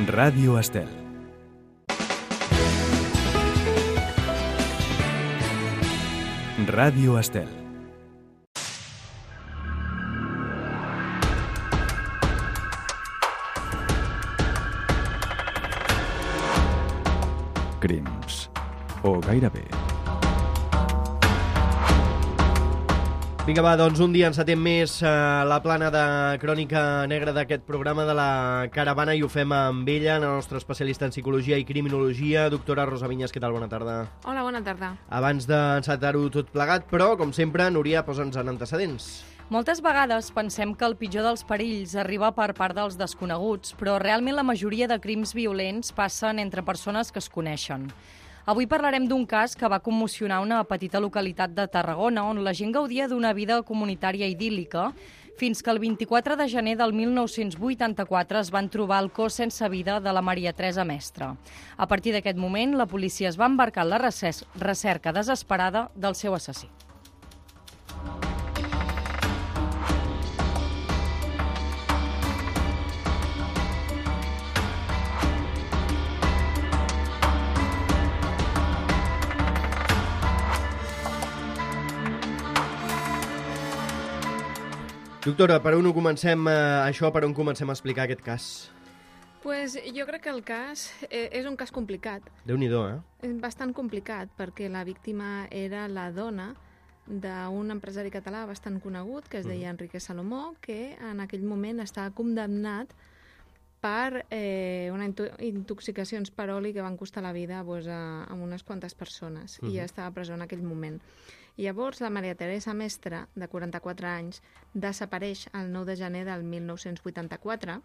Ràdio Estel. Ràdio Estel. Crims. O gairebé. Vinga, va, doncs un dia encetem més la plana de crònica negra d'aquest programa de la Caravana i ho fem amb ella, la nostra especialista en psicologia i criminologia, doctora Rosa Vinyes. Què tal? Bona tarda. Hola, bona tarda. Abans d'encetar-ho tot plegat, però, com sempre, Núria, posa'ns en antecedents. Moltes vegades pensem que el pitjor dels perills arriba per part dels desconeguts, però realment la majoria de crims violents passen entre persones que es coneixen. Avui parlarem d'un cas que va commocionar una petita localitat de Tarragona on la gent gaudia d'una vida comunitària idíl·lica fins que el 24 de gener del 1984 es van trobar el cos sense vida de la Maria Teresa Mestre. A partir d'aquest moment, la policia es va embarcar en la recerca desesperada del seu assassí. Doctora, per on comencem a explicar aquest cas? Pues jo crec que el cas és un cas complicat. Déu-n'hi-do, eh? És bastant complicat perquè la víctima era la dona d'un empresari català bastant conegut que es deia Enrique Salomó, que en aquell moment estava condemnat per intoxicacions per oli que van costar la vida a unes quantes persones i ja estava a presó en aquell moment. I llavors la Maria Teresa Mestre, de 44 anys, desapareix el 9 de gener del 1984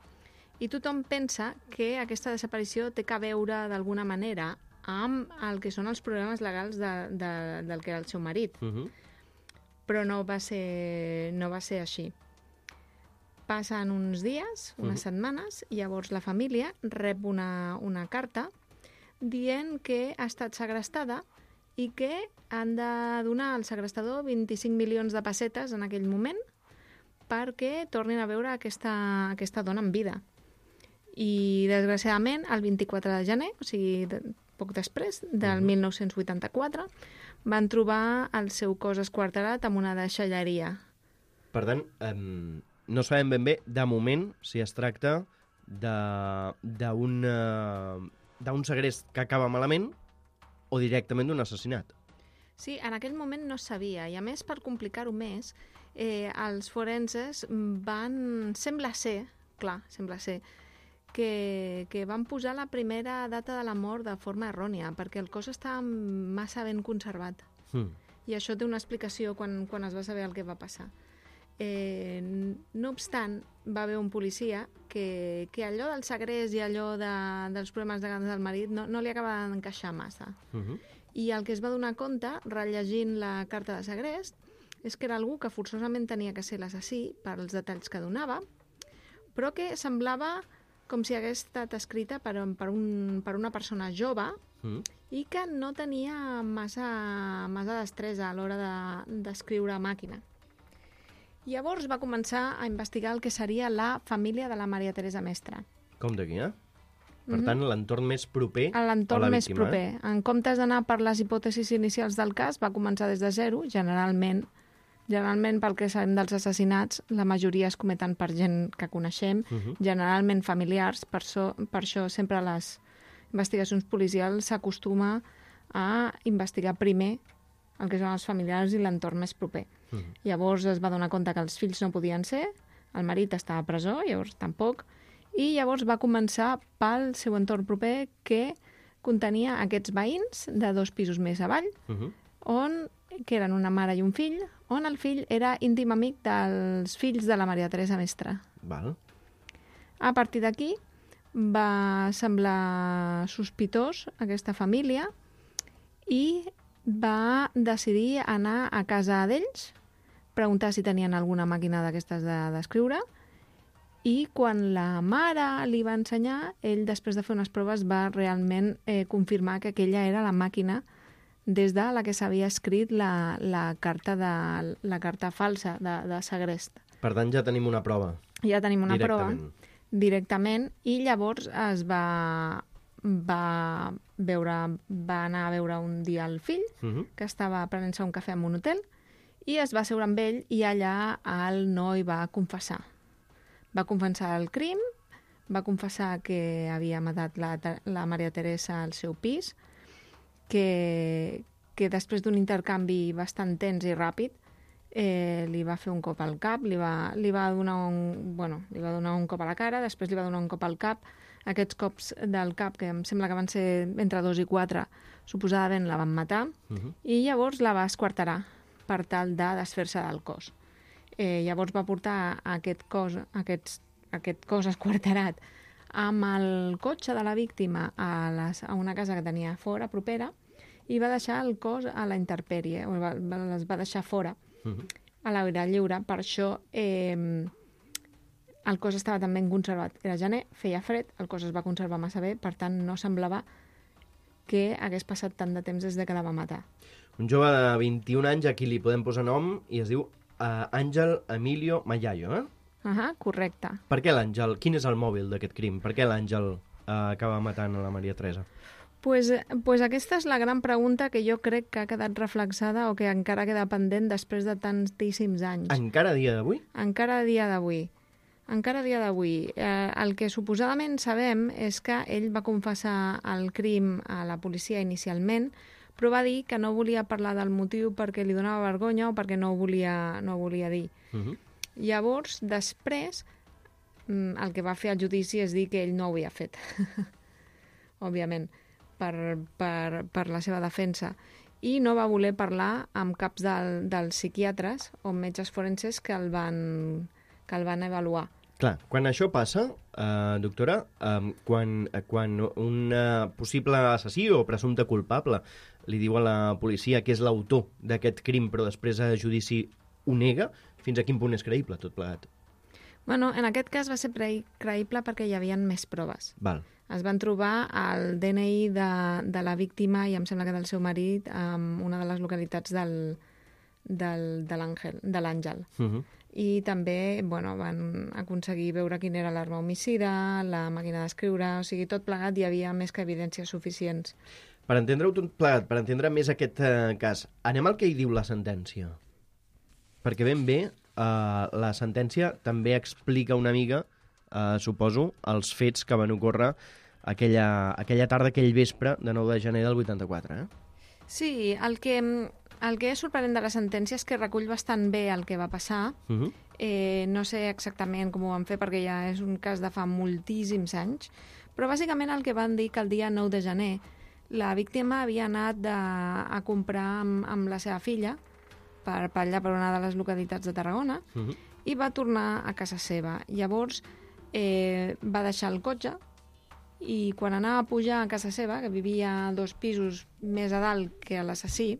i tothom pensa que aquesta desaparició té a veure d'alguna manera amb el que són els problemes legals del que era el seu marit. Però no va ser així. Passen uns dies, unes setmanes, i llavors la família rep una carta dient que ha estat segrestada i que han de donar al segrestador 25 milions de pessetes en aquell moment perquè tornin a veure aquesta dona en vida. I, desgraciadament, el 24 de gener, o sigui, poc després, del 1984, van trobar el seu cos esquarterat en una deixalleria. Per tant, no sabem ben bé, de moment, si es tracta d'un segrest que acaba malament o directament d'un assassinat. Sí, en aquell moment no es sabia, i a més, per complicar-ho més, els forenses sembla ser, que van posar la primera data de la mort de forma errònia, perquè el cos estava massa ben conservat. I això té una explicació quan es va saber el que va passar. No obstant, va haver un policia que allò del segrest i allò dels problemes legals del marit no li acaba d'encaixar massa. I el que es va donar compte, rellegint la carta de segrest, és que era algú que forçosament tenia que ser l'assassí per als detalls que donava, però que semblava com si hagués estat escrita per una persona jove i que no tenia massa destresa a l'hora d'escriure a màquina. Llavors va començar a investigar el que seria la família de la Maria Teresa Mestre. Com d'aquí, eh? Per tant, l'entorn més proper a la víctima. L'entorn més proper. En comptes d'anar per les hipòtesis inicials del cas, va començar des de zero. Generalment, pel que sabem dels assassinats, la majoria es cometen per gent que coneixem, generalment familiars. Per això sempre a les investigacions policials s'acostuma a investigar primer el que són els familiars i l'entorn més proper. Llavors es va donar compte que els fills no podien ser, el marit estava a presó, llavors tampoc, i llavors va començar pel seu entorn proper que contenia aquests veïns de 2 pisos més avall, que eren una mare i un fill, on el fill era íntim amic dels fills de la Maria Teresa Mestre. Val. A partir d'aquí va semblar sospitós aquesta família i va decidir anar a casa d'ells, preguntar si tenien alguna màquina d'aquestes d'escriure, i quan la mare li va ensenyar, ell, després de fer unes proves, va realment confirmar que aquella era la màquina des de la que s'havia escrit la carta falsa de segrest. Per tant, ja tenim una prova. Ja tenim una prova. directament, i llavors va anar a veure un dia el fill, que estava prenent-se un cafè en un hotel, i es va asseure amb ell, i allà el noi va confessar. Va confessar el crim, va confessar que havia matat la Maria Teresa al seu pis, que després d'un intercanvi bastant tens i ràpid li va fer un cop al cap, li va donar un cop a la cara, després li va donar un cop al cap. Aquests cops del cap, que em sembla que van ser entre 2 i 4, suposadament la van matar, i llavors la va esquarterar per tal de desfer-se del cos. Llavors va portar aquest cos esquarterat amb el cotxe de la víctima a una casa que tenia fora, propera, i va deixar el cos a la intempèrie, les va deixar fora, a l'aire lliure. Per això el cos estava tan ben conservat. Era gener, feia fred, el cos es va conservar massa bé, per tant no semblava que hagués passat tant de temps des que la va matar. Un jove de 21 anys a qui li podem posar nom i es diu Àngel Emilio Mayayo, Correcte. Per què l'Àngel? Quin és el mòbil d'aquest crim? Per què l'Àngel acaba matant a la Maria Teresa? Pues aquesta és la gran pregunta que jo crec que ha quedat reflexada o que encara queda pendent després de tantíssims anys. Encara a dia d'avui? Encara a dia d'avui. El que suposadament sabem és que ell va confessar el crim a la policia inicialment, però va dir que no volia parlar del motiu perquè li donava vergonya o perquè no ho volia dir. Llavors, després, el que va fer al judici és dir que ell no ho havia fet. Òbviament, per la seva defensa. I no va voler parlar amb caps dels psiquiatres o metges forenses que el van avaluar. Clar, quan això passa, doctora, quan un possible assassí o presumpte culpable li diu a la policia que és l'autor d'aquest crim, però després a judici ho nega, fins a quin punt és creïble tot plegat? Bueno, en aquest cas va ser creïble perquè hi havia més proves. Val. Es van trobar el DNI de la víctima i em sembla que del seu marit en una de les localitats de l'Àngel. I també van aconseguir veure quina era l'arma homicida, la màquina d'escriure, o sigui, tot plegat hi havia més que evidències suficients. Per entendre-ho tot plegat, per entendre més aquest cas, anem al que hi diu la sentència. Perquè ben bé, la sentència també explica una mica, suposo, els fets que van ocórrer aquella tarda, aquell vespre de 9 de gener del 84, Sí, el que és sorprenent de la sentència és que recull bastant bé el que va passar. No sé exactament com ho van fer perquè ja és un cas de fa moltíssims anys, però bàsicament el que van dir que el dia 9 de gener la víctima havia anat a comprar amb la seva filla per allà, per una de les localitats de Tarragona, i va tornar a casa seva. Llavors va deixar el cotxe i quan anava a pujar a casa seva, que vivia 2 pisos més a dalt que l'assassí,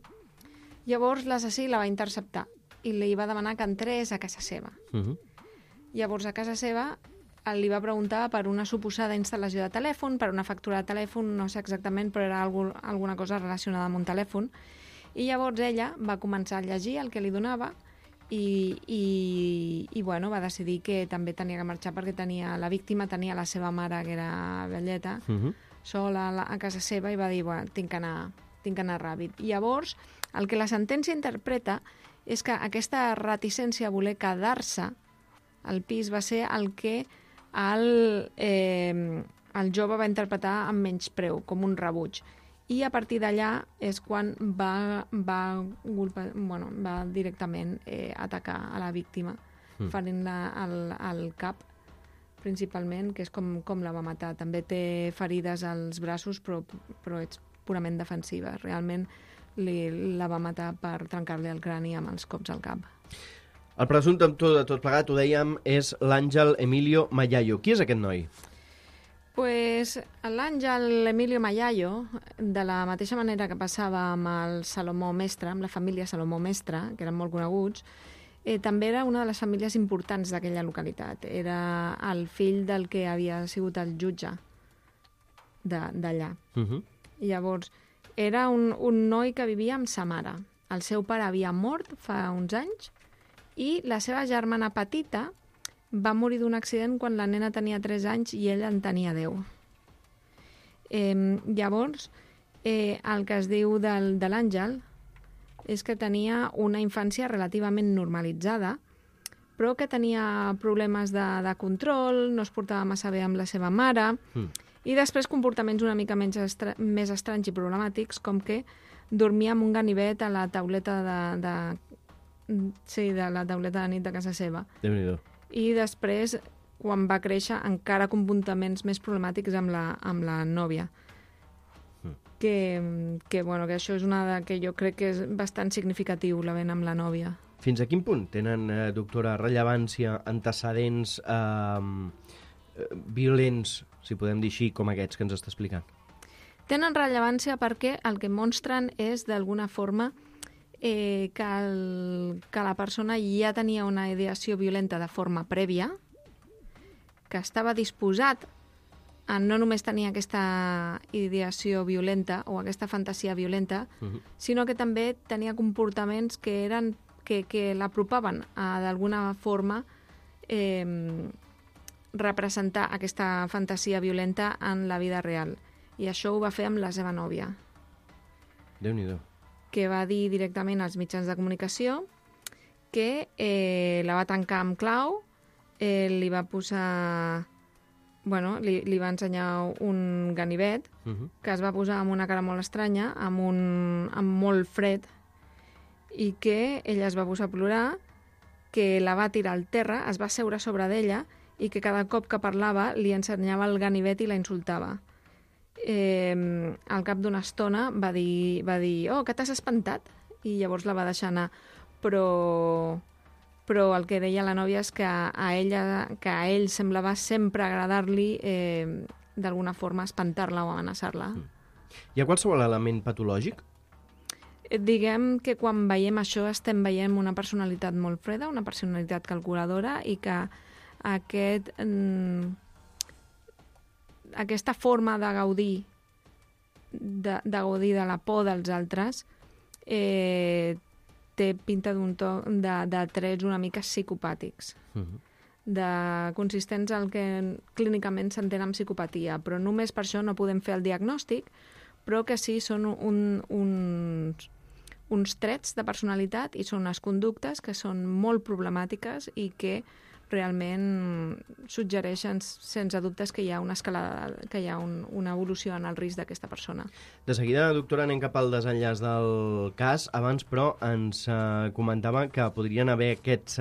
llavors l'assassí la va interceptar i li va demanar que entrés a casa seva. Llavors a casa seva li va preguntar per una suposada instal·lació de telèfon, per una factura de telèfon, no sé exactament, però era alguna cosa relacionada amb un telèfon. I llavors ella va començar a llegir el que li donava i va decidir que també tenia que marxar perquè la víctima tenia la seva mare, que era velleta, sola a casa seva, i va dir, tinc que anar ràpid. I llavors, el que la sentència interpreta és que aquesta reticència a voler quedar-se al pis va ser el que el jove va interpretar amb menyspreu, com un rebuig. I a partir d'allà és quan va directament atacar a la víctima, ferint-la al cap, principalment, que és com la va matar. També té ferides als braços, però és purament defensiva. Realment la va matar per trencar-li el crani amb els cops al cap. El presumpte de tot plegat, ho dèiem, és l'Àngel Emilio Mayayo. Qui és aquest noi? Pues l'Àngel Emilio Mayayo, de la mateixa manera que passava amb el Salomó Mestre, amb la família Salomó Mestre, que eren molt coneguts, també era una de les famílies importants d'aquella localitat. Era el fill del que havia sigut el jutge d'allà. Llavors, era un noi que vivia amb sa mare. El seu pare havia mort fa uns anys i la seva germana petita va morir d'un accident quan la nena tenia 3 anys i ell en tenia 10. Llavors, el que es diu de l'Àngel és que tenia una infància relativament normalitzada, però que tenia problemes de control, no es portava massa bé amb la seva mare, i després comportaments una mica més estranys i problemàtics, com que dormia amb un ganivet a la tauleta de la tauleta de nit de casa seva. Déu-n'hi-do. I després, quan va créixer, encara comportaments més problemàtics amb la nòvia. Que això és una que jo crec que és bastant significatiu, la vent amb la nòvia. Fins a quin punt tenen, doctora, rellevància antecedents violents, si podem dir així, com aquests que ens està explicant? Tenen rellevància perquè el que mostren és, d'alguna forma, que la persona ja tenia una ideació violenta de forma prèvia, que estava disposat a no només tenir aquesta ideació violenta o aquesta fantasia violenta, sinó que també tenia comportaments que l'apropaven a, d'alguna forma, representar aquesta fantasia violenta en la vida real. I això ho va fer amb la seva nòvia. Déu-n'hi-do. Que va dir directament als mitjans de comunicació que la va tancar amb clau, li va posar... li va ensenyar un ganivet que es va posar amb una cara molt estranya, amb molt fred, i que ella es va posar a plorar, que la va tirar al terra, es va seure sobre d'ella i que cada cop que parlava li ensenyava el ganivet i la insultava. Al cap d'una estona va dir «Oh, que t'has espantat?» I llavors la va deixar anar. Però el que deia la nòvia és que a ell semblava sempre agradar-li d'alguna forma espantar-la o amenaçar-la. Hi ha qualsevol element patològic? Diguem que quan veiem això estem veient una personalitat molt freda, una personalitat calculadora, i que aquesta forma de gaudir de la por dels altres té pinta d'un to de trets una mica psicopàtics, consistents al que clínicament s'entén amb psicopatia, però només per això no podem fer el diagnòstic, però que sí són uns trets de personalitat i són unes conductes que són molt problemàtiques i que realment suggereixen sense dubtes que hi ha una escalada, que hi ha una evolució en el risc d'aquesta persona. De seguida, doctora, anem cap al desenllaç del cas. Abans, però, ens comentava que podrien haver aquests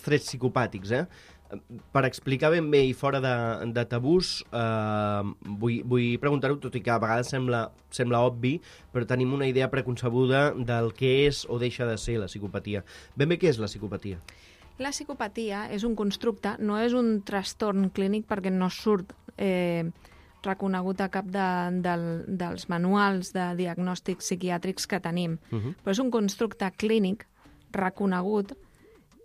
trets psicopàtics, Per explicar ben bé i fora de tabús, vull preguntar-ho, tot i que a vegades sembla obvi, però tenim una idea preconcebuda del que és o deixa de ser la psicopatia. Ben bé, què és la psicopatia? La psicopatia és un constructe, no és un trastorn clínic perquè no surt reconegut a cap dels manuals de diagnòstics psiquiàtrics que tenim. Però és un constructe clínic reconegut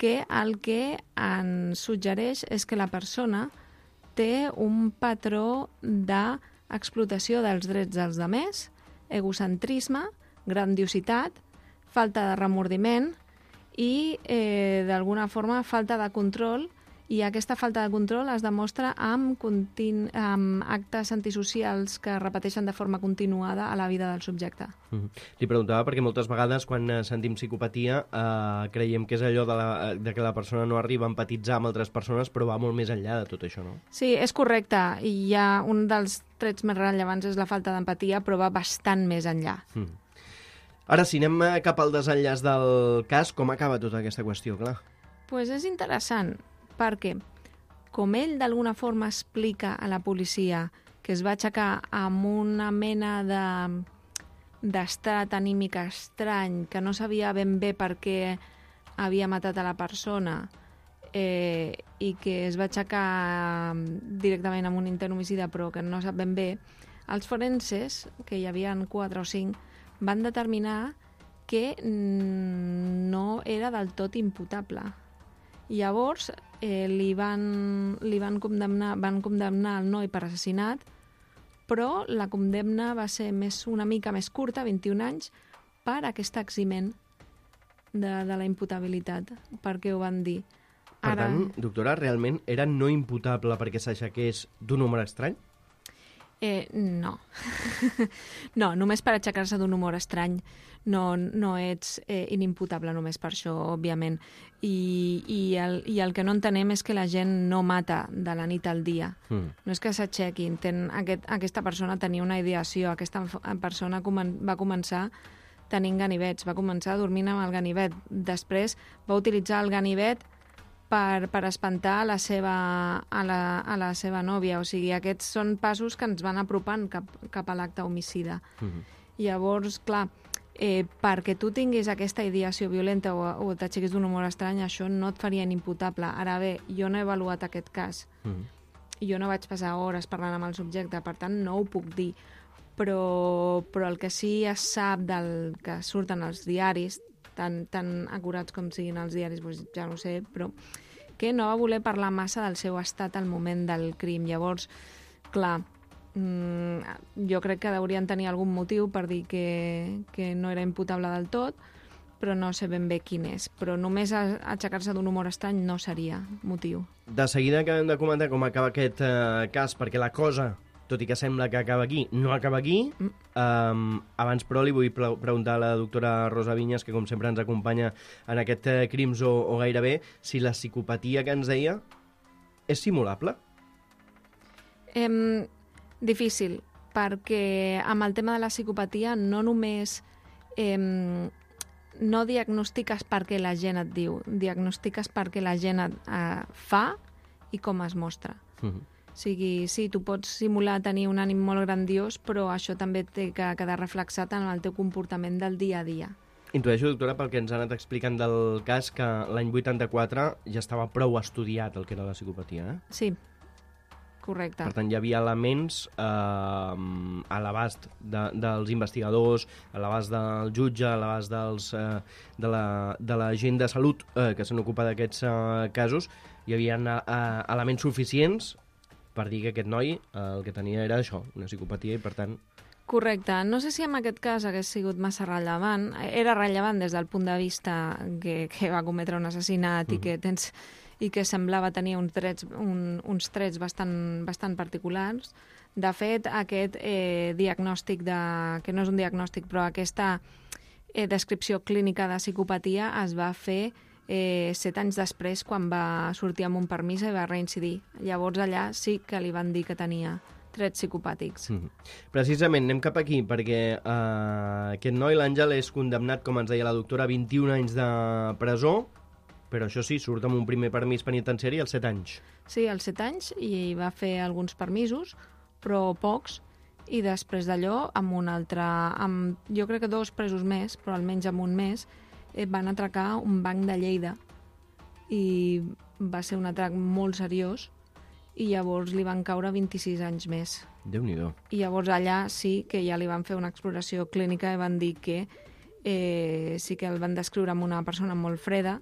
que el que ens suggereix és que la persona té un patró d'explotació dels drets dels altres, egocentrisme, grandiositat, falta de remordiment i, d'alguna forma, falta de control, i aquesta falta de control es demostra amb actes antisocials que es repeteixen de forma continuada a la vida del subjecte. Li preguntava perquè moltes vegades quan sentim psicopatia creiem que és allò de que la persona no arriba a empatitzar amb altres persones, però va molt més enllà de tot això, no? Sí, és correcte, i ja un dels trets més rellevants és la falta d'empatia, però va bastant més enllà. Ara, si anem cap al desenllaç del cas, com acaba tota aquesta qüestió, clar? Doncs és interessant, perquè com ell d'alguna forma explica a la policia que es va aixecar amb una mena d'estat anímic estrany, que no sabia ben bé per què havia matat a la persona i que es va aixecar directament amb un intent homicida però que no sap ben bé, els forenses, que hi havia 4 o 5, van determinar que no era del tot imputable. Llavors van condemnar el noi per assassinat, però la condemna va ser una mica més curta, 21 anys, per aquest eximent de la imputabilitat. Per què ho van dir? Per tant, doctora, realment era no imputable perquè s'aixequés d'un humor estrany? No. No, només per aixecar-se d'un humor estrany no ets inimputable només per això, òbviament. I el que no entenem és que la gent no mata de la nit al dia. No és que s'aixequin. Aquesta persona tenia una ideació, aquesta persona va començar tenint ganivets, va començar dormint amb el ganivet. Després va utilitzar el ganivet per espantar a la seva nòvia. O sigui, aquests són passos que ens van apropant cap a l'acte homicida. Llavors, clar, perquè tu tinguis aquesta ideació violenta o t'aixequis d'un humor estrany, això no et faria inimputable. Ara bé, jo no he avaluat aquest cas. Jo no vaig passar hores parlant amb el subjecte, per tant, no ho puc dir. Però el que sí es sap del que surten als diaris, tan acurats com siguin els diaris, doncs ja no sé, però que no va voler parlar massa del seu estat al moment del crim. Llavors, clar, jo crec que haurien tenir algun motiu per dir que no era imputable del tot, però no sé ben bé quin és. Però només aixecar-se d'un humor estrany no seria motiu. De seguida acabem de comentar com acaba aquest cas, perquè la cosa, tot i que sembla que acaba aquí, no acaba aquí. Abans, però, li vull preguntar a la doctora Rosa Vinyes, que com sempre ens acompanya en aquest Crims o gairebé, si la psicopatia que ens deia és simulable? Difícil, perquè amb el tema de la psicopatia no només no diagnostiques perquè la gent et diu, diagnostiques perquè la gent fa i com es mostra. O sigui, sí, tu pots simular tenir un ànim molt grandiós, però això també té que quedar reflexat en el teu comportament del dia a dia. Intueixo, doctora, pel que ens ha anat explicant del cas, que l'any 84 ja estava prou estudiat el que era la psicopatia, eh? Sí, correcte. Per tant, hi havia elements a l'abast dels investigadors, a l'abast del jutge, a l'abast de la gent de salut que se n'ocupa d'aquests casos. Hi havia elements suficients per dir que aquest noi el que tenia era això, una psicopatia, i per tant... Correcte. No sé si en aquest cas hagués sigut massa rellevant. Era rellevant des del punt de vista que va cometre un assassinat i que semblava tenir uns trets bastant particulars. De fet, aquest diagnòstic, que no és un diagnòstic, però aquesta descripció clínica de psicopatia es va fer 7 anys després, quan va sortir amb un permís i va reincidir. Llavors allà sí que li van dir que tenia trets psicopàtics. Precisament, anem cap aquí, perquè aquest noi, l'Àngel, és condemnat, com ens deia la doctora, a 21 anys de presó, però això sí, surt amb un primer permís penitenciari als 7 anys. Sí, als 7 anys, i va fer alguns permisos, però pocs, i després d'allò, amb un altre, jo crec que 2 presos més, però almenys amb un més, van atracar un banc de Lleida i va ser un atrac molt seriós i llavors li van caure 26 anys més. Déu-n'hi-do. I llavors allà sí que ja li van fer una exploració clínica i van dir que sí que el van descriure amb una persona molt freda,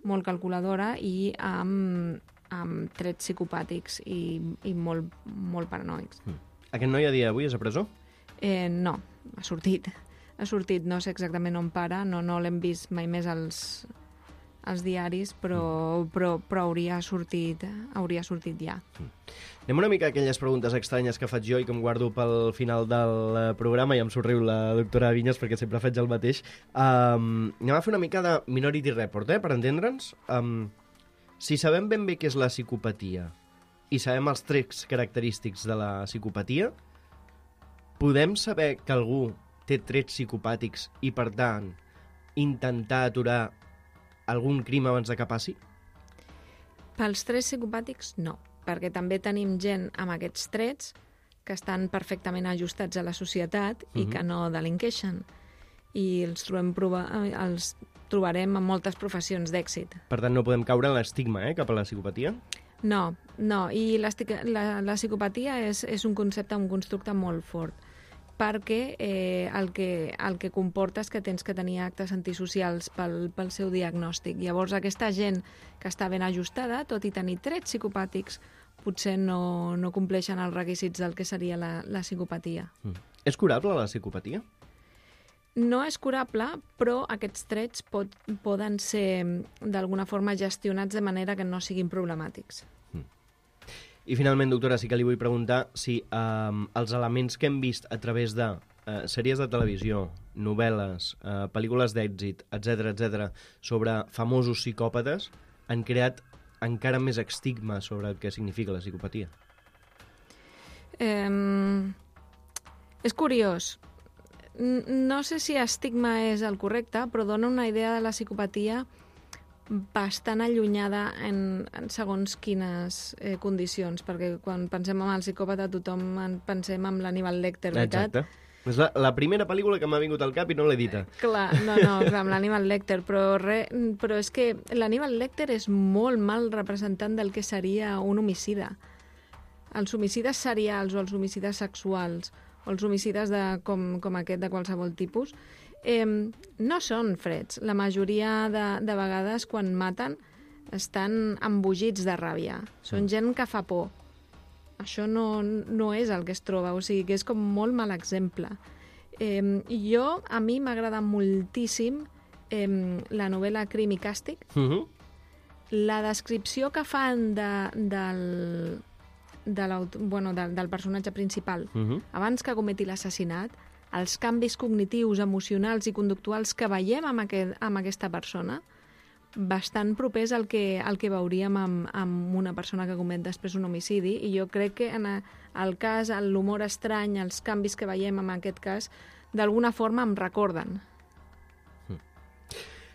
molt calculadora i amb trets psicopàtics i molt paranoics. Aquest noi a dia d'avui és a presó? No, ha sortit, no sé exactament on para, no l'hem vist mai més als diaris, però hauria sortit ja. Anem una mica a aquelles preguntes estranyes que faig jo i que em guardo pel final del programa, i em somriu la doctora Vinyes perquè sempre faig el mateix. Anem a fer una mica de Minority Report, per entendre'ns. Si sabem ben bé què és la psicopatia i sabem els trets característics de la psicopatia, podem saber que algú té trets psicopàtics i, per tant, intentar aturar algun crim abans de que passi? Pels trets psicopàtics, no, perquè també tenim gent amb aquests trets que estan perfectament ajustats a la societat i que no delinqueixen. I els trobarem en moltes professions d'èxit. Per tant, no podem caure en l'estigma cap a la psicopatia? No, i la psicopatia és un concepte, un constructe molt fort, perquè el que comporta és que tens que tenir actes antisocials pel seu diagnòstic. Llavors, aquesta gent que està ben ajustada, tot i tenir trets psicopàtics, potser no compleixen els requisits del que seria la psicopatia. És curable la psicopatia? No és curable, però aquests trets poden ser d'alguna forma gestionats de manera que no siguin problemàtics. I finalment, doctora, sí que li vull preguntar si els elements que hem vist a través de sèries de televisió, novel·les, pel·lícules d'èxit, etc., sobre famosos psicòpates, han creat encara més estigma sobre el que significa la psicopatia. És curiós. No sé si estigma és el correcte, però dona una idea de la psicopatia bastant allunyada en segons quines condicions, perquè quan pensem en el psicòpata tothom pensem en l'Hannibal Lecter, veritat? Exacte. És la primera pel·lícula que m'ha vingut al cap i no l'he dita. Clar, amb l'Hannibal Lecter, però és que l'Hannibal Lecter és molt mal representant del que seria un homicida. Els homicides serials o els homicides sexuals o els homicides com aquest de qualsevol tipus no són freds. La majoria de vegades quan maten estan embogits de ràbia. Són gent que fa por. Això no és el que es troba, o sigui que és com molt mal exemple. A mi m'agrada moltíssim la novel·la Crim i Càstig. La descripció que fan del personatge principal abans que cometi l'assassinat, els canvis cognitius, emocionals i conductuals que veiem amb aquesta persona, bastant propers al que veuríem amb una persona que comet després un homicidi, i jo crec que en el cas, l'humor estrany, els canvis que veiem en aquest cas, d'alguna forma em recorden.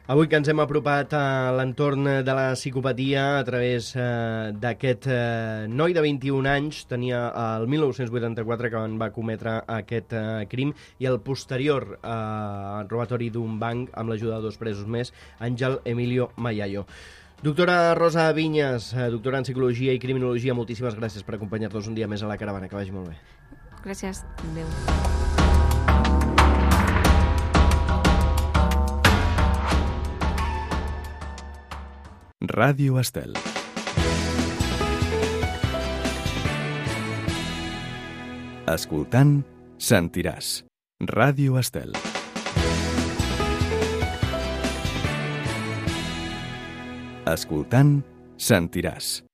Avui que ens hem apropat a l'entorn de la psicopatia a través d'aquest noi de 21 anys, tenia el 1984 que va cometre aquest crim, i el posterior robatori d'un banc amb l'ajuda de 2 presos més, Àngel Emilio Mayayo. Doctora Rosa Viñas, doctora en Psicologia i Criminologia, moltíssimes gràcies per acompanyar-nos un dia més a la Caravana. Que vagi molt bé. Gràcies. Adéu. Ràdio Estel. Escoltant, sentiràs. Ràdio Estel. Escoltant, sentiràs.